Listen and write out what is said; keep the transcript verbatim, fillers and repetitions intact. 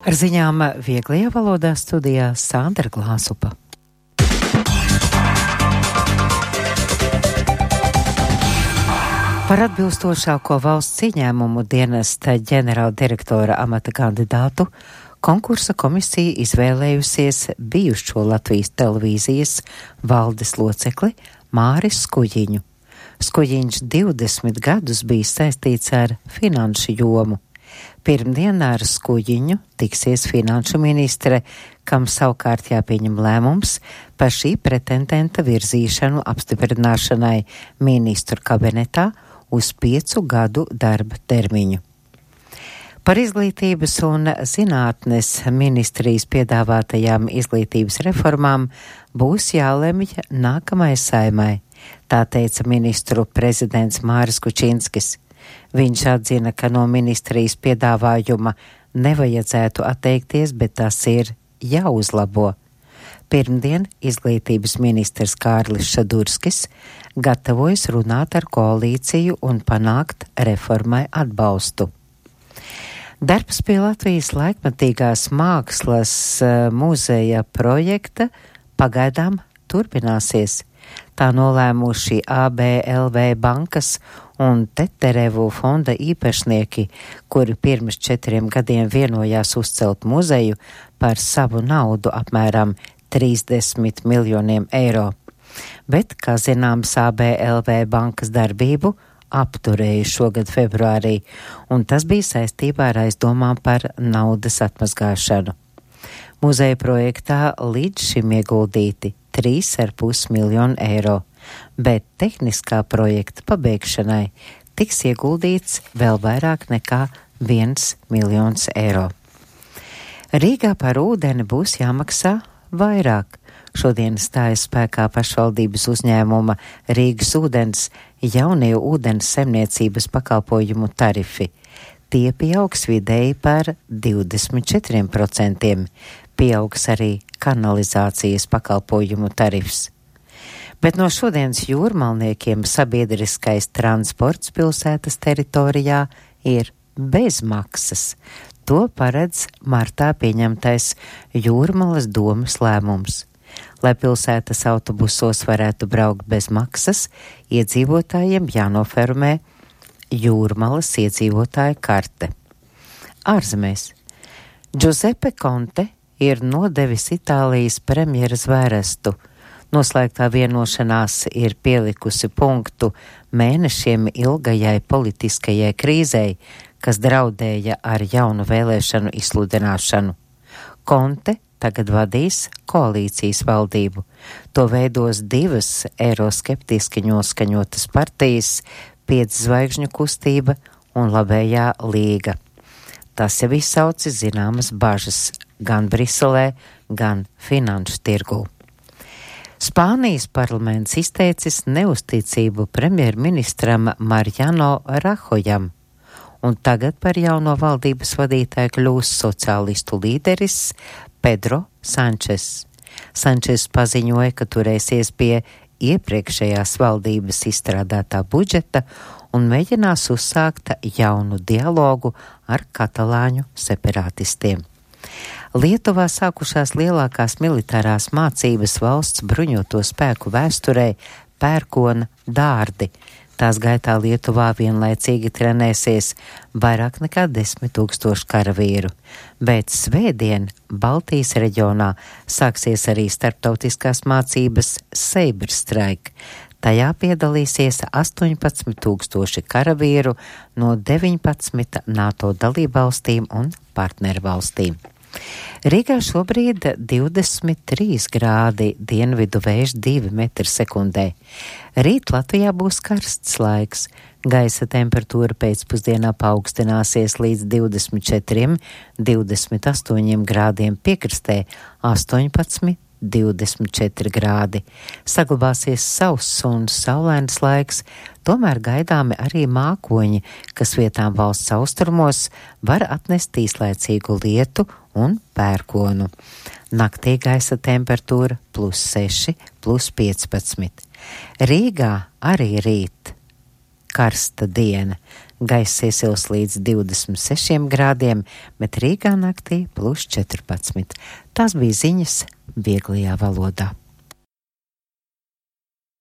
Ar ziņām vieglajā valodā studijā Sandra Glāzupa. Par atbilstošāko valsts ieņēmumu dienesta ģenerāldirektora amata kandidātu konkursa komisija izvēlējusies bijušo Latvijas televīzijas valdes locekli Māris Skujiņu. Skujiņš divdesmit gadus bija saistīts ar finanšu jomu. Pirmdien ar Skujiņu tiksies finanšu ministre, kam savukārt jāpieņem lēmums par šī pretendenta virzīšanu apstiprināšanai ministru kabinetā uz piecu gadu darba termiņu. Par izglītības un zinātnes ministrijas piedāvātajām izglītības reformām būs jālemj nākamai saimai, tā teica ministru prezidents Māris Kučinskis. Viņš atzina, ka no ministrijas piedāvājuma nevajadzētu atteikties, bet tas ir jāuzlabo. Pirmdien izglītības ministrs Kārlis Šadurskis gatavojas runāt ar koalīciju un panākt reformai atbalstu. Darbs pie Latvijas laikmatīgās mākslas muzeja projekta pagaidām turpināsies. Tā nolēmuši A B L V bankas un Teterevu fonda īpašnieki, kuri pirms četriem gadiem vienojās uzcelt muzeju par savu naudu apmēram trīsdesmit miljoniem eiro. Bet, kā zināms, A B L V bankas darbību apturēja šogad februārī, un tas bija saistībā ar aizdomām par naudas atmazgāšanu. Muzeja projektā līdz šim ieguldīti trīs ar pus miljonu eiro, bet tehniskā projekta pabeigšanai tiks ieguldīts vēl vairāk nekā viens miljons eiro. Rīgā par ūdeni būs jāmaksā vairāk. Šodien stājas spēkā pašvaldības uzņēmuma Rīgas ūdens jaunie ūdens saimniecības pakalpojumu tarifi. Tie pieaugs vidēji par divdesmit četriem procentiem. Pieaugs arī kanalizācijas pakalpojumu tarifs. Bet no šodienas jūrmalniekiem sabiedriskais transports pilsētas teritorijā ir bez maksas. To paredz martā pieņemtais Jūrmalas domes lēmums. Lai pilsētas autobusos varētu braukt bez maksas, iedzīvotājiem jānoformē Jūrmalas iedzīvotāja karte. Ārzemēs. Giuseppe Conte ir nodevis Itālijas premjera zvērestu. Noslēgtā vienošanās ir pielikusi punktu mēnešiem ilgajai politiskajai krīzei, kas draudēja ar jaunu vēlēšanu izsludināšanu. Conte tagad vadīs koalīcijas valdību. To veidos divas eiroskeptiski noskaņotas partijas, Piedzvaigžņu kustība un Labējā līga. Tas jau izsauci zināmas bažas gan Briselē, gan finanšu tirgū. Spānijas parlaments izteicis neusticību premjerministram Mariano Rahojam, un tagad par jauno valdības vadītāju kļūs sociālistu līderis Pedro Sančes. Sančes paziņoja, ka turēsies pie iepriekšējās valdības izstrādātā budžeta un mēģinās uzsākt jaunu dialogu ar katalāņu separatistiem. Lietuvā sākušās lielākās militārās mācības valsts bruņoto spēku vēsturē pērkona dārdi. Tās gaitā Lietuvā vienlaicīgi trenēsies vairāk nekā desmit tūkstoši karavīru, bet svētdien Baltijas reģionā sāksies arī starptautiskās mācības Saber Strike. Tajā piedalīsies astoņpadsmit tūkstoši karavīru no deviņpadsmit NATO dalībvalstīm un partnervalstīm. Rīgā šobrīd divdesmit trīs grādi, dienvidu vējš divi metri sekundē. Rīt Latvijā būs karsts laiks. Gaisa temperatūra pēcpusdienā paaugstināsies līdz divdesmit četriem, divdesmit astoņiem grādiem piekrastē, astoņpadsmit, divdesmit četri grādi. Saglabāsies sauss un saulains laiks, tomēr gaidāmi arī mākoņi, kas vietām valsts austrumos var atnest īslaicīgu lietu un pērkonu. Naktī gaisa temperatūra plus seši, plus piecpadsmit. Rīgā arī rīt karsta diena. Gaiss iesils līdz divdesmit sešiem grādiem, bet Rīgā naktī plus četrpadsmit. Tās bija ziņas vieglajā valodā.